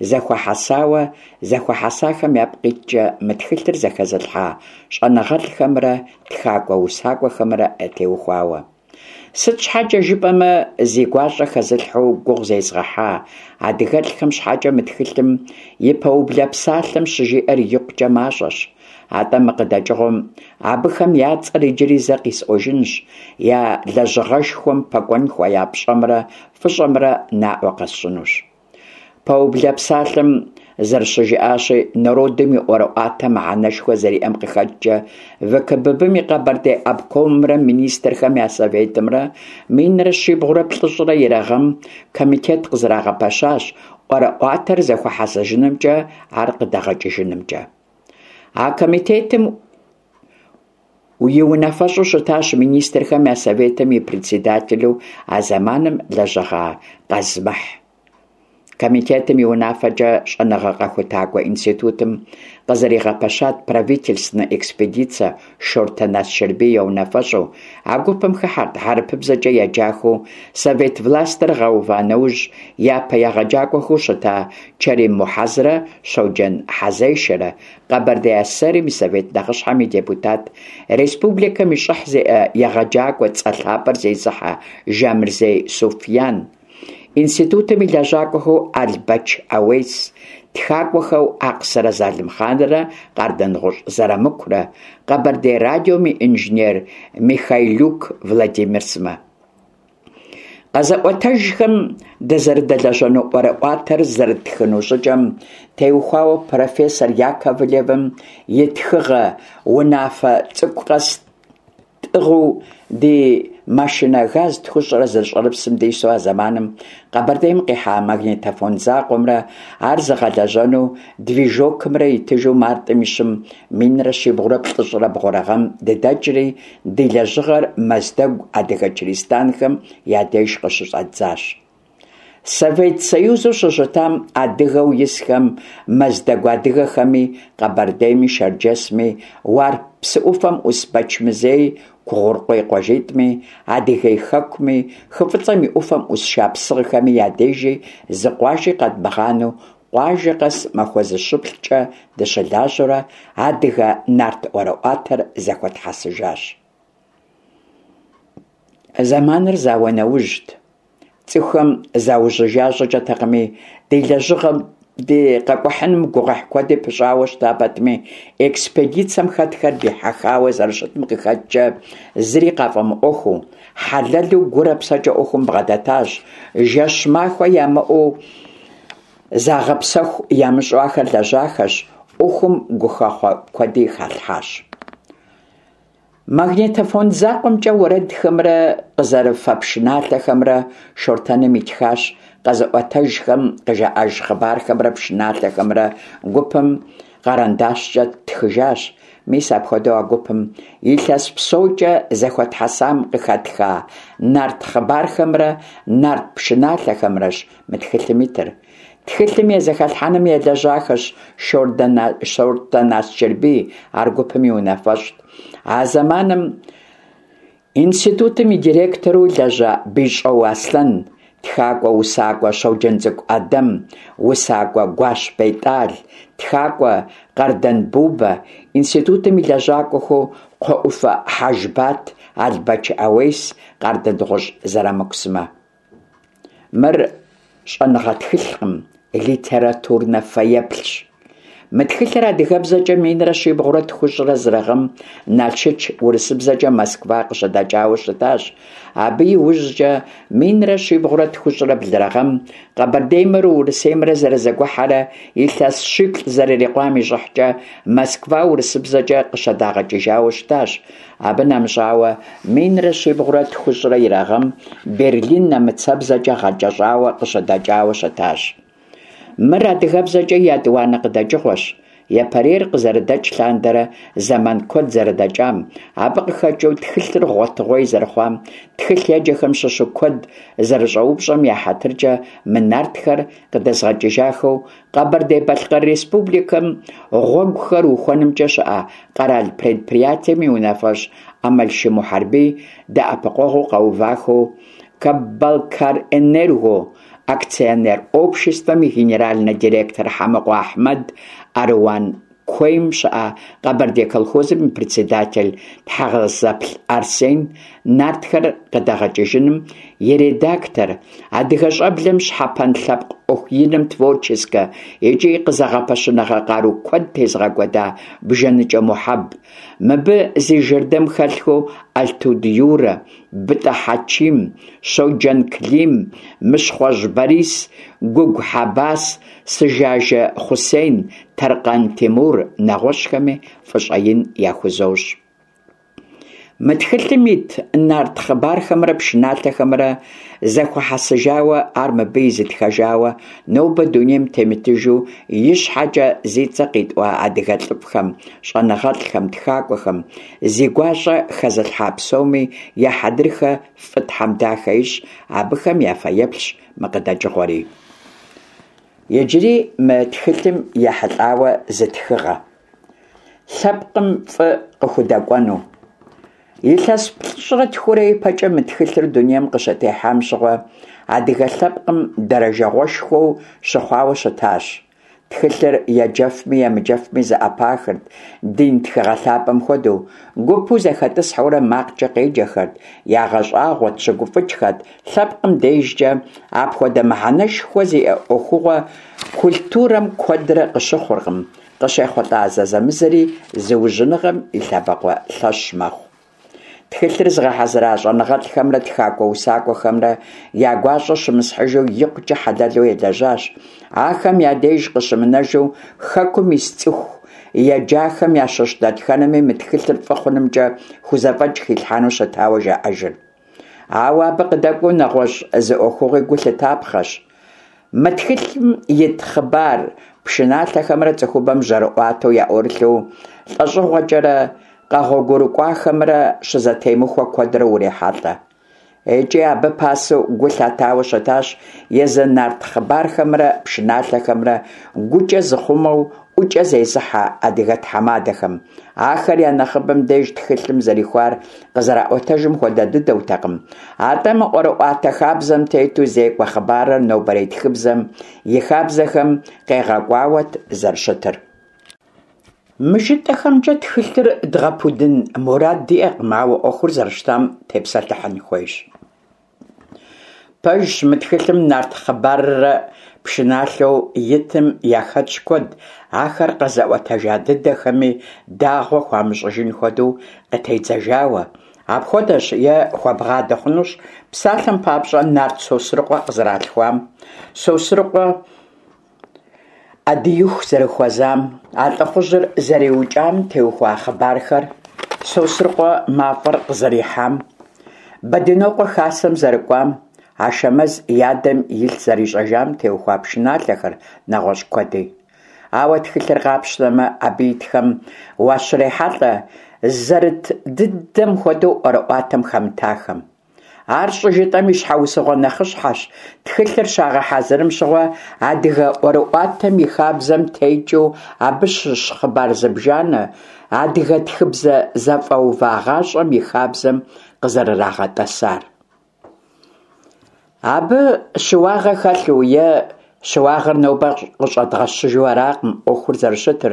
зэхуэхьэсауэ, зэхуэхьэсахэм япкъ иткӏэ мы тхылъыр зэхэзылъхьа щӏэныгъэлӏхэмрэ тхакӏуэ-усакӏуэхэмрэ ятеухуауэ. Сыт щхьэкӏэ жыпӏэмэ, зи гуащӏэ хэзылъхьэу гугъу зезгъэхьа адыгэлӏхэм щхьэкӏэ мы тхылъым и пэублэ псалъэм щыжиӏэр икъукӏэ мащӏэщ. Атӏэ мы къыдэкӏыгъуэм абыхэм я цӏэр иджыри зэ къисӏуэжынщ, я лэжьыгъэшхуэм пэкӏуэн хуея пщӏэмрэ фӏыщӏэмрэ наӏуэ къэсщӏынущ. Пэублэ псалъэм зэрыщыжыӏащи, народым и ӏуэрыӏуатэм мыхьэнэшхуэ зэриӏэм къыхэкӏкӏэ, ВКПб-м и Къэбэрдей обкомымрэ Министрхэм я Советымрэ 1790 гъэм комитет къызэрагъэпэщащ ӏуэрыӏуатэр зэхуэхьэсыжынымкӏэ, ар къыдэгъэкӏыжынымкӏэ. А комитетым и унафэщӏу щытащ Министрхэм я Советым и председателу а зэманым лэжьэгъа Къазмыхь. Комитетым и унафэкӏэ щӏэныгъэ-къэхутакӏуэ институтым къызэригъэпэщат правительственнэ экспедицэ Шортэн Асчэрбий я унафэщӏу. А гупым хыхьэрт хьэрыпыбзэкӏэ еджахэу совет властыр гъэува нэужь япэ егъэджакӏуэхэу щыта Чэрим Мухьэзрэ Щоджэн Хьэзешэрэ, Къэбэрдей АССР-м и Совет Нэхъыщхьэм и депутат, республикэм и щӏыхь зиӏэ егъэджакӏуэ цӏэ лъапӏэр зезыхьэ Жамырзей Суфьян, Институтым и лэжьакӏуэхэу Албэч ӏэуес, тхакӏуэхэу Акъсырэ Залымхъанрэ Къардэнгъущӏ Зырамыкурэ, Къэбэрдей радиом и инженер Михайлюк Владимир сымэ. Къэзыӏуэтэжхэм дызэрыдэлэжьэну ӏуэрыӏуатэр зэрыттхыну щӏыкӏэм теухуауэ профессор Яковлевым и тхыгъэ унафэ цӏыкӏу къэс Тӏыгъыу ди машинэ ГАЗ тхущӏрэ зы щӏэрыпсым дису а зэманым Къэбэрдейм къихьа магнитофон закъуэмрэ ар зыгъэлэжьэну движокымрэ итыжу мартым и щым минрэ щибгъурэ плӏыщӏрэ бгъурэ гъэм дыдэкӏри, ди лэжьыгъэр Мэздэгу адыгэ чыристанхэм я деж къыщыщӏэддзащ. Совет Союзу щыщытам адыгэу исхэм, Мэздэгу адыгэхэми, Къэбэрдейми, Шэрджэсми, Уарп псы ӏуфэм ӏус Бэчмызей, Кугъуркъуей къуажитӏми, Адыгей хэкуми, Хы Фӏыцӏэм и ӏуфэм ӏус шапсыгъхэми я дежи зы къуажи къэдмыгъанэу къуажэ къэс махуэ зыщыплӏкӏэ дыщылажьэурэ адыгэ нарт ӏуэрыӏуатэр зэхуэтхьэсыжащ. Зэманыр зауэ нэужьт. Цӏыхухэм заужьыжа щӏыкӏэтэкъыми, ди лэжьыгъэм, ди къэкӏухьыным гугъуехь куэди пыщӏауэ щыта пэтми, экспедицэм хэтхэр дихьэхауэ зэрыщытым къыхэкӏкӏэ зыри къафӏэмыӏуэхуу, хьэлэлу гурэ псэкӏэ ӏуэхум бгъэдэтащ, жэщ-махуэ ямыӏэу загъэпсэху ямыщӏэу ахэр лэжьахэщ, ӏуэхум гухэхъуэ куэди халъхьащ. Магнитофон закъуэмкӏэ уэрэдхэмрэ къызэрыфэ пшыналъэхэмрэ Шортэным итхащ, къэзыӏуэтэжхэм къыжаӏэж хъыбархэмрэ пшыналъэхэмрэ гупым къэрэндащкӏэ ттхыжащ. Мис апхуэдэу а гупым илъэс псокӏэ зэхуэтхьэсам къыхэтха нарт хъыбархэмрэ нарт пшыналъэхэмрэщ мы тхылъым итыр. Тхылъым и зэхэлъхьэным елэжьахэщ Шортэн Асчэрбий, ар гупым и унафэщӏт. А зэманым институтым и директору лэжьа Бищӏо Аслъэн, тхакӏуэ, усакӏуэ Щоджэнцӏыкӏу ӏэдэм, усакӏуэ Гуащ Бетӏал, тхакӏуэ Къардэн Бубэ, институтым и лэжьакӏуэхэу Кхъуэӏуфэ Хьэжбат, Албэч ӏэуес, Къардэнгъущӏ Зырамыку сымэ. Мыр щӏэныгъэ тхылъкъым, литературнэ фэеплъщ. Мы тхылъыр адыгэбзэкӏэ минрэ щибгъурэ тхущӏрэ зырэ гъэм Налшыч, урысыбзэкӏэ Москва къыщыдэкӏауэ щытащ. Абы и ужькӏэ минрэ щибгъурэ тхущӏрэ блырэ гъэм Къэбэрдеймрэ Урысеймрэ зэрызэгухьэрэ илъэс щиплӏ зэрырикъуам и щӏыхькӏэ Москва урысыбзэкӏэ къыщыдагъэкӏыжауэ щытащ. Абы нэмыщӏауэ, минрэ щибгъурэ тхущӏрэ ирэ гъэм Берлин нэмыцэбзэкӏэ гъэкӏэщӏауэ къыщыдэкӏауэ щытащ. Мыр адыгэбзэкӏэ етӏуанэ къыдэкӏыгъуэщ. Япэрейр къызэрыдэкӏ лъандэрэ зэман куэд зэрыдэкӏам, абы къыхэкӏыу тхылъыр гъуэтыгъуей зэрыхъуам, тхылъ еджэхэм щыщу куэд зэрыщӏэупщӏэм я хьэтыркӏэ мы нартхэр къыдэзгъэкӏыжахэу Къэбэрдей-Балъкъэр Республикэм гъуэгухэр ухуэнымкӏэ щыӏэ къэрал предприятием и унафэщӏ Ӏэмалшы Мухьэрбий дэӏэпыкъуэгъуу къэувахэу Каббалкарэнерго акционер обществэм и генеральнэ директор Хьэмыкъуэ Ахьмэд, Аруан куейм щыӏэ Къэбэрдей колхозым и председатель Тхьэгъэзэплъ Арсен, Нартхэр къыдэгъэкӏыжыным и редактор, адыгэ щӏэблэм щхьэпэн лъэпкъ ӏуэху иным творческэ икӏи къызэгъэпэщыныгъэ къару куэд тезыгъэкӏуэда Бжэныкӏэ Мухьэб, мыбы зи жэрдэм хэлъхэу Алътуд Юрэ, Бытӏэ Хьэчим, Щоджэн Клим, Мыщхъуэжь Борис, Гугу Хьэбас, Сыжажэ Хъусен, Тэркъан Тимур, нэгъуэщӏхэми фӏыщӏэ ин яхузощӏ. Мы тхылъым ит нарт хъыбархэмрэ пшыналъэхэмрэ зэхуэхьэсыжауэ, ар мыбы изытхэжауэ нобэ дунейм темытыжу ищхьэкӏэ зи цӏэ къитӏуа адыгэ лӏыфӏхэм, щӏэныгъэлӏхэм, тхакӏуэхэм, зи гуащӏэ хэзылъхьа псоми я хьэдрыхэ фӏы Тхьэм дахэ ищӏ, абыхэм я фэеплъщ мы къыдэкӏыгъуэри. Иджыри мы тхылъым ехьэлӏауэ зы тхыгъэ. Лъэпкъым фӏы къыхудэкӏуэну. Илъэс плӏыщӏрэ тхурэ ипэкӏэ мы тхылъыр дунейм къыщытехьам щыгъуэ адыгэ лъэпкъым дэрэжэгъуэшхуэу щыхъуауэ щытащ. Тхылъыр еджэфми емыджэфми зэӏэпахырт, дин тхыгъэ лъапӏэм хуэдэу, гупу зэхэтӏысхьэурэ макъкӏэ къеджэхэрт, ягъэщӏагъуэт, щыгуфӏыкӏхэт, лъэпкъым дежкӏэ апхуэдэ мыхьэнэшхуэ зиӏэ ӏуэхугъуэ культурэм куэдрэ къыщыхъуркъым, къыщехъулӏа зэзэмызэри зыужьыныгъэм и лъэбакъуэ лъэщ мэхъу. Тхылъыр зыгъэхьэзыра щӏэныгъэлӏхэмрэ тхакӏуэ-усакӏуэхэмрэ я гуащӏэ щымысхьыжу икъукӏэ хьэлэлу елэжьащ. Ахэм я деж къыщымынэжу, хэкум ис цӏыху еджахэм ящыщ дэтхэнэми мы тхылъыр фӏы хъунымкӏэ хузэфӏэкӏ хилъхьэну щытауэ жаӏэжыр. Ауэ абы къыдэкӏуэу нэгъуэщӏ зы ӏуэхугъуи гу лъытапхъэщ. Мы тхылъым ит хъыбар пшыналъэхэмрэ цӏыхубэм жьэрыӏуатэу яӏурылъу лӏэщӏыгъуэкӏэрэ къэгъуэгурыкӏуахэмрэ щызэтемыхуэ куэдрэ урехьэлӏэ. Икӏи абы пасэу гу лъатауэ щытащ езы нарт хъыбархэмрэ пшыналъэхэмрэ гукӏэ зыхъумэу ӏукӏэ зезыхьэ адыгэ тхьэмадэхэм. Ахэр я нэхъыбэм деж тхылъым зэрихуар къызэраӏуэтэжым хуэдэ дыдэутэкъым. Атӏэ мы ӏуэрыӏуатэ хабзэм тету зекӏуэ хъыбарыр нобэрей тхыбзэм и хабзэхэм къегъэкӏуауэт зэрыщытыр. Мы жытӏэхэмкӏэ тхылъыр дгъэпудын мурад диӏэкъым, ауэ ӏуэхур зэрыщытам тепсэлъыхьын хуейщ. Пэжщ, мы тхылъым нарт хъыбаррэ пшыналъэу итым яхэтщ куэд, ахэр къэзыӏуэтэжа дыдэхэми дагъуэ хуамыщӏыжын хуэдэу къытедзэжауэ. Апхуэдэщ е хуэбгъадэ хъунущ, псалъэм папщӏэ, нарт Сосрыкъуэ къызэралъхуам, Сосрыкъуэ Ӏэдииху зэрыхуэзам, а лӏыхъужьыр зэриукӏам теухуа хъыбархэр, Сосрыкъуэ мафӏэр къызэрихьам, Бэдынокъуэ хасэм зэрыкӏуам, Ашэмэз и адэм илъ зэрищӏэжам теухуа пшыналъэхэр, нэгъуэщӏ куэди. Ауэ тхылъыр къапщтэмэ, абы итхэм уащрехьэлӏэ зэрыт дыдэм хуэдэу ӏуэрыӏуатэм хэмытахэм. Ар щӏыжытӏэм и щхьэусыгъуэ нэхъыщхьэщ тхылъыр щагъэхьэзырым щыгъуэ адыгэ ӏуэрыӏуатэм и хабзэм текӏыу абы щыщ хъыбар зыбжанэ адыгэ тхыбзэ зэфӏэувагъащӏэм и хабзэм къызэрырагъэтӏэсар. Абы щыуагъэ хэлъу е Щыуагъэр нобэ къыщӏэдгъэщыжу аракъым ӏуэхур зэрыщытыр.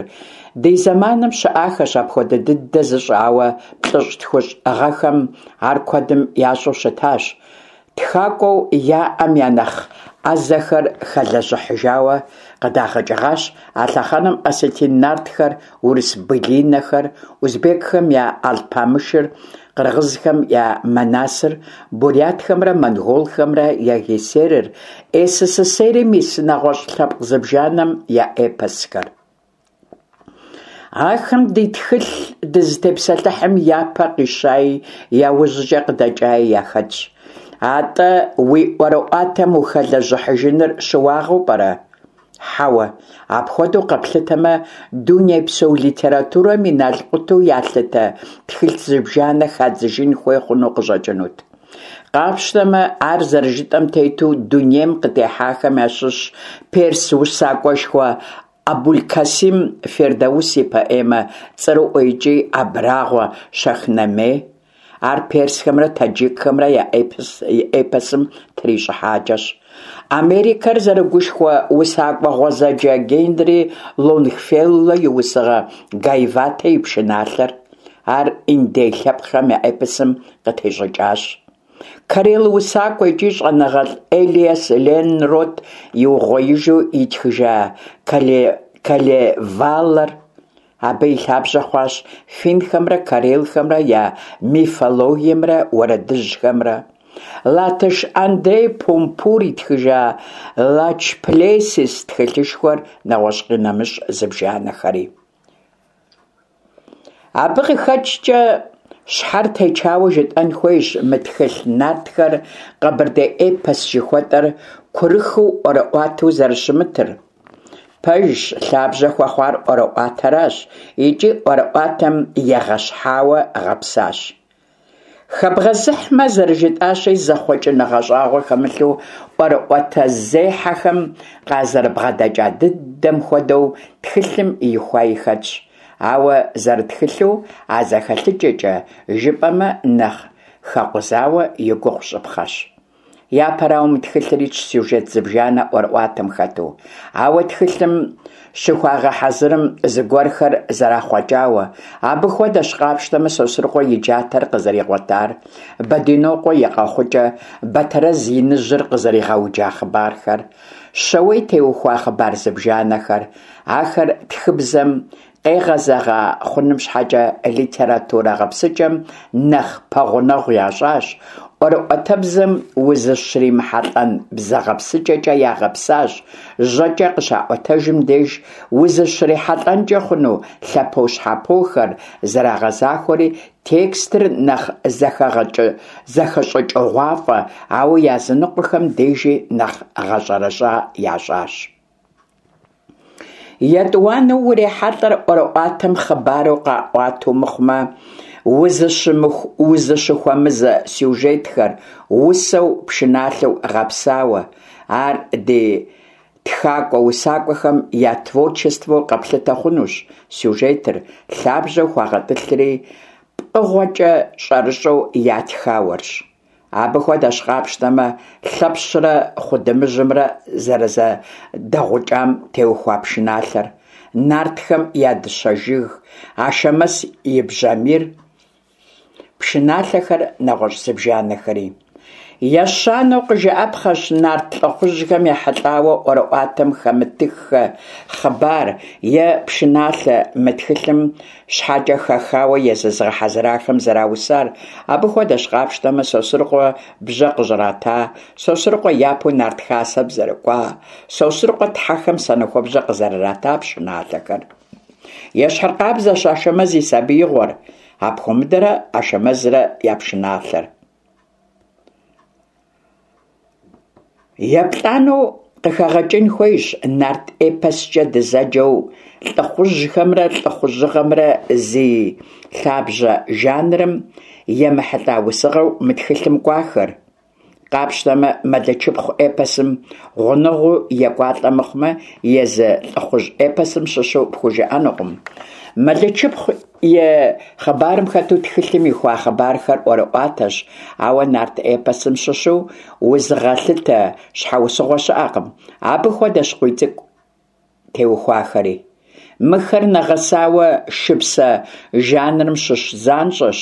Ди зэманым щыӏахэщ апхуэдэ дыдэ зыщӏэ, ауэ плӏыщӏ-тхущӏ гъэхэм ар куэдым ящӏэу щытащ. Тхакӏуэу яӏэм я нэхъ ӏэзэхэр хэлэжьыхьыжауэ къыдагъэкӏыгъащ а лъэхъэнэм осетин нартхэр, урыс былинэхэр, узбекхэм я Алпамышыр, Къыргъызхэм я Манасыр, бурятхэмрэ монголхэмрэ я Гэсерыр, СССР-м ис нэгъуэщӏ лъэпкъ зыбжанэм я эпосхэр. Ахэм ди тхылъ дызытепсэлъыхьым япэ къищаи, яужькӏэ къыдэкӏаи яхэтщ. Атӏэ уи ӏуэрыӏуатэм ухэлэжьыхьыжыныр щыуагъэу пӏэрэ? Хьэуэ, апхуэдэу къэплъытэмэ, дунейпсо литературэм и налкъуту ялъытэ тхылъ зыбжанэ хадзыжын хуей хъуну къыщӏэкӏынут. Къапщтэмэ, ар зэрыжытӏэм тету дунейм къытехьахэм ящыщщ перс усакӏуэшхуэ Абулькасим Фирдаус и поэмэ цӏэрыӏуэ икӏи абрагъуэ Шахнаме. Ар персхэмрэ таджикхэмрэ я эпосым трищӏыхьакӏэщ. Америкэр зэрыгушхуэ усакӏуэ гъуэзэджэ Генри Лонгфелло и усыгъэ Гайаватэ и пшыналъэр. Ар индей лъэпкъхэм я эпосым къытещӏыкӏащ. Карел усакӏуэ икӏи щӏэныгъэлӏ Элиас Ленрот иугъуеижу итхыжа Калевалэр. Абы и лъабжьэ хъуащ финхэмрэ карелхэмрэ я мифологиемрэ уэрэдыжьхэмрэ. Латыш Андрей Пумпур итхыжа Лачплесис тхылъышхуэр, нэгъуэщӏ къинэмыщӏ зыбжанэхэри. Абы къыхэкӏкӏэ. Щхьэр течауэ жытӏэн хуейщ мы тхылъ Нартхэр къэбэрдей эпос жыхуэтӏэр курыхыу ӏуэрыӏуатэу зэрыщымытыр. Пэжщ, лъабжьэ хуэхъуар ӏуэрыӏуатэращ икӏи ӏуэрыӏуатэм егъэщхьауэ гъэпсащ. Хэбгъэзыхьмэ, зэрыжытӏащи, зэхъуэкӏыныгъэ щӏагъуэ хэмылъу ӏуэрыӏуатэзехьэхэм къазэрыбгъэдэкӏа дыдэм хуэдэу тхылъым ихуаи хэтщ. Ауэ зэрытхылъу а зэхэлъыкӏэкӏэ жыпӏэмэ, нэхъ хэкъузауэ и гугъу щӏыпхъэщ. Япэрауэ, мы тхылъыр итщ сюжет зыбжанэ ӏуэрыӏуатэм хэту. Ауэ тхылъым щыхуагъэхьэзырым зыгуэрхэр зэрахъуэкӏауэ. Абы хуэдэщ, къапщтэмэ, Сосрыкъуэ и джатэр къызэригъуэтар, Бэдинокъуэ и къэхъукӏэ, Бэтэрэз иныжьыр къызэригъэуджа хъыбархэр, Щэуей теухуа хъыбар зыбжанэхэр. Ахэр тхыбзэм къегъэзэгъа хъуным щхьэкӏэ литературэ гъэпсыкӏэм нэхъ пэгъунэгъу ящӏащ, ӏуэрыӏуатэбзэм узыщримыхьэлӏэн бзэ гъэпсыкӏэкӏэ ягъэпсащ, жьэкӏэ къыщаӏуэтэжым деж узыщрихьэлӏэнкӏэ хъуну лъэпощхьэпохэр зэрагъэзахуэри, текстыр нэхъ зэхэщӏыкӏыгъуафӏэ, ауэ языныкъуэхэм дежи нэхъ гъэщӏэрэщӏа ящӏащ. Етӏуанэу урехьэлӏэр ӏуэрыӏуатэм хъыбару къаӏуатэу мыхъумэ, узыщыхуэмызэ сюжетхэр, усэу, пшыналъэу гъэпсауэ. Ар ди тхакӏуэ-усакӏуэхэм я творчествэу къэплъытэ хъунущ сюжетыр, лъабжьэу хуагъэтӏылъри пкъыгъуэкӏэ щӏэрыщӏэу ятхауэрщ. Абы хуэдэщ, къапщтэмэ, Лъэпщрэ Хъудымыжьымрэ зэрызэдэгъукӏам теухуа пшыналъэр, Нартхэм я дыщэ жыг, Ашэмэз и бжьамийр, пшыналъэхэр, нэгъуэщӏ зыбжанэхэри. Ещанэу къыжыӏэпхъэщ нарт лӏыхъужьхэм ехьэлӏауэ ӏуэрыӏуатэм хэмытыххэ хъыбар е пшыналъэ мы тхылъым щхьэкӏэ хэхауэ езы зыгъэхьэзырахэм зэраусар, абы хуэдэщ, къапщтэмэ, Сосрыкъуэ бжьэ къыщӏрата, Сосрыкъуэ япэу нарт хасэм зэрыкӏуа, Сосрыкъуэ тхьэхэм санэхуэбжьэ къызэрырата пшыналъэхэр. Ещхьыркъабзэщ Ашэмэз и сабиигъуэр, Апхуэмыдэрэ Ашэмэзрэ я пшыналъэр. Еплӏанэу къыхэгъэкӏын хуейщ нарт эпоскӏэ дызэджэу лӏыхъужьхэмрэ лӏыхъужьыгъэмрэ зи лъабжьэ жанрым емыхьэлӏа усыгъэу мы тхылъым кӏуахэр. Къапщтэмэ, Мэлычыпхъу эпосым гъунэгъуу екӏуалӏэ мыхъумэ, езы лӏыхъужь эпосым щыщу пхужыӏэнукъым. Мэлычыпхъу И хъыбарым хэту тхылъым ихуа хъыбархэр ӏуэрыӏуатэщ, ауэ нарт эпосым щыщу узыгъэлъытэ щхьэусыгъуэ щыӏэкъым. Абы хуэдэщ Къуийцӏыкӏу теухуахэри. Мыхэр нэгъэсауэ шыпсэ жанрым щыщ занщӏэщ,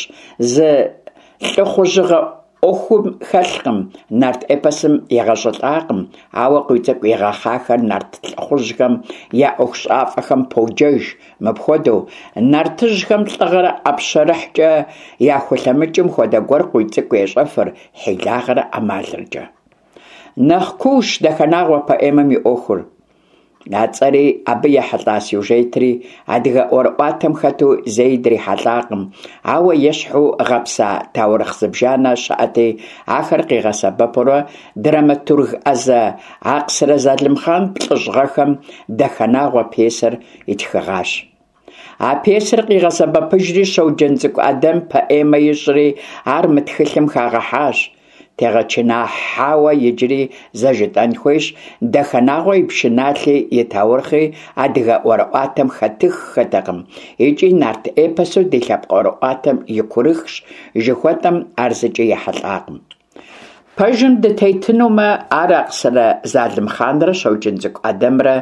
зы лӏыхъужьыгъэ ӏуэхум хэлъкъым, нарт эпосым егъэщӏылӏакъым, ауэ Къуийцӏыкӏу игъэхъахэр нарт лӏыхъужьхэм я ӏуэхущӏафэхэм поджэж мыпхуэдэу, Нартыжьхэм лӏыгъэрэ ӏэпщэрыхькӏэ яхулъэмыкӏым хуэдэ гуэр Къуийцӏыкӏу ещӏэфыр хьилагъэрэ ӏэмалрэкӏэ. Нэхъ куущ Дахэнагъуэ поэмэм и ӏуэхур. А цӏэри, абы ехьэлӏа сюжетри адыгэ ӏуэрыӏуатэм хэту зэи дрихьэлӏакъым, ауэ ещхьу гъэпса таурыхъ зыбжанэ щыӏэти, ахэр къигъэсэбэпурэ драматург ӏэзэ Акъсырэ Залымхъан плӏыщӏ гъэхэм Дахэнагъуэ пьесэр итхыгъащ. А пьесэр къигъэсэбэпыжри, Щоджэнцӏыкӏу Ӏэдэм поэмэ ищӏри, ар мы тхылъым хагъэхьащ. Тегъэчыныхьауэ иджыри зэ жытӏэн хуейщ, Дахэнагъуэ и пшыналъи и таурыхъи адыгэ ӏуэрыӏуатэм хэтыххэтэкъым икӏи нарт эпосу ди лъэпкъ ӏуэрыӏуатэм и курыхщ жыхуэтӏэм ар зыкӏи ехьэлӏакъым. Пэжым дытетынумэ, ар Акъсырэ Залымхъанрэ Щоджэнцӏыкӏу Ӏэдэмрэ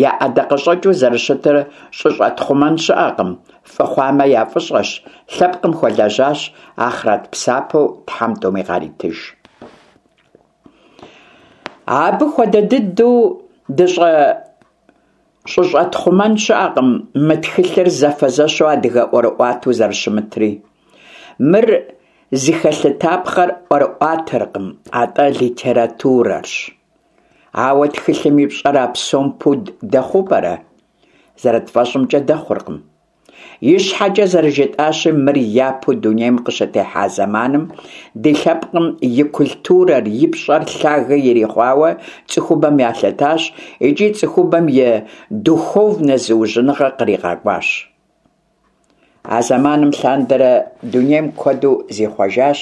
я ӏэдакъэщӏэкӏыу зэрыщытыр щӏыщӏэтхъумэн щыӏэкъым, фӏы хъуамэ я фӏыщӏэщ, лъэпкъым хуэлэжьащ, ахърэт псапэу Тхьэм тӏуми къаритыж. Абы хуэдэ дыдэу щӏыщӏэтхъумэн щыӏэкъым мы тхылъыр зэфэзэщу адыгэ ӏуэрыӏуатэу зэрыщымытри. Мыр зыхэлъытапхъэр ӏуэрыӏуатэркъым, атӏэ литературэрщ. Ауэ тхылъым и пщӏэр а псом пуд дэхъуу пӏэрэ? Зэрытфӏэщӏымкӏэ, дэхъуркъым. Ищхьэкӏэ зэрыжытӏащи, мыр япэу дунейм къыщытехьа зэманым ди лъэпкъым и культурэр, и пщӏэр лъагэ ирихъуауэ цӏыхубэм ялъытащ икӏи цӏыхубэм и духовнэ зыужьыныгъэ къригъэкӏуащ. А зэманым лъандэрэ дунейм куэду зихъуэжащ.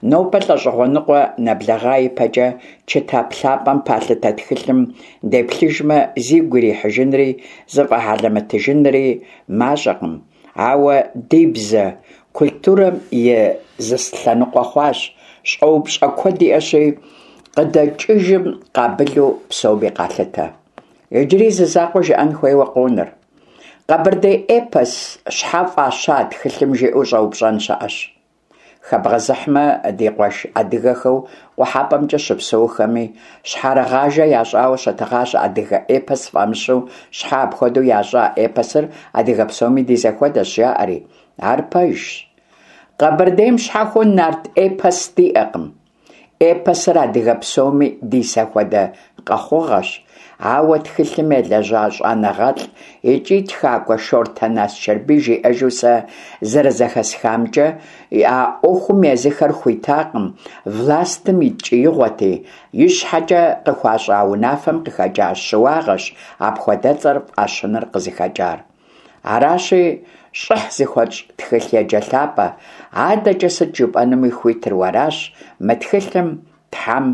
Нобэ лӏэщӏыгъуэ ныкъуэ нэблэгъа ипэкӏэ чытап лъапӏэм палъытэ тхылъым деплъыжмэ, зигу ирихьыжынри зыфӏэхьэлэмэтыжынри мащӏэкъым, ауэ ди бзэ культурэм и зы лъэныкъуэ хъуащ, щӏэупщӏэ куэд иӏэщи, къыдэкӏыжым къабылу псоми къалъытэ. Иджыри зы закъуэ жыӏэн хуейуэ къонэр. Къэбэрдей эпос щхьэ фӏаща тхылъым жиӏэу щӏэупщӏэн щыӏэщ. Хэбгъэзыхьмэ, ди къуэш адыгэхэу къухьэпӏэмкӏэ щыпсэухэми, щхьэрыгъажэ ящӏауэ щытыгъащ адыгэ эпос фӏамыщу щхьэ апхуэдэу ящӏа эпосыр адыгэ псоми ди зэхуэдэщ, жаӏэри. Ар пэжщ. Къэбэрдейм щхьэхуэу нарт эпос диӏэкъым. Эпосыр адыгэ псоми ди зэхуэдэ къэхъугъэщ, ауэ тхылъым елэжьа щӏэныгъэлӏ икӏи тхакӏуэ Шортэн Асчэрбий жиӏэжу сэ зэрызэхэсхамкӏэ, а ӏуэхум езыхэр хуитакъым, властым и ткӏиигъуэти, ищхьэкӏэ къыхуащӏа унафэм къыхэкӏа щыуагъэщ апхуэдэцӏэр фӏащыныр къызыхэкӏар. Аращи, щӏыхь зыхуэтщӏ тхылъеджэ лъапӏэ, адэкӏэ сыт жыпӏэнуми хуитыр уэращ, мы тхылъым Тхьэм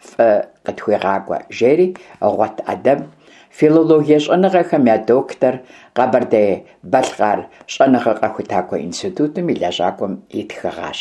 фӏы къытхуигъакӏуэ, жери Гъуэт ӏэдэм, филологие щӏэныгъэхэм я доктор, Къэбэрдей-Балъкъэр щӏэныгъэ-къэхутакӏуэ институтым и лэжьакӏуэм итхыгъащ.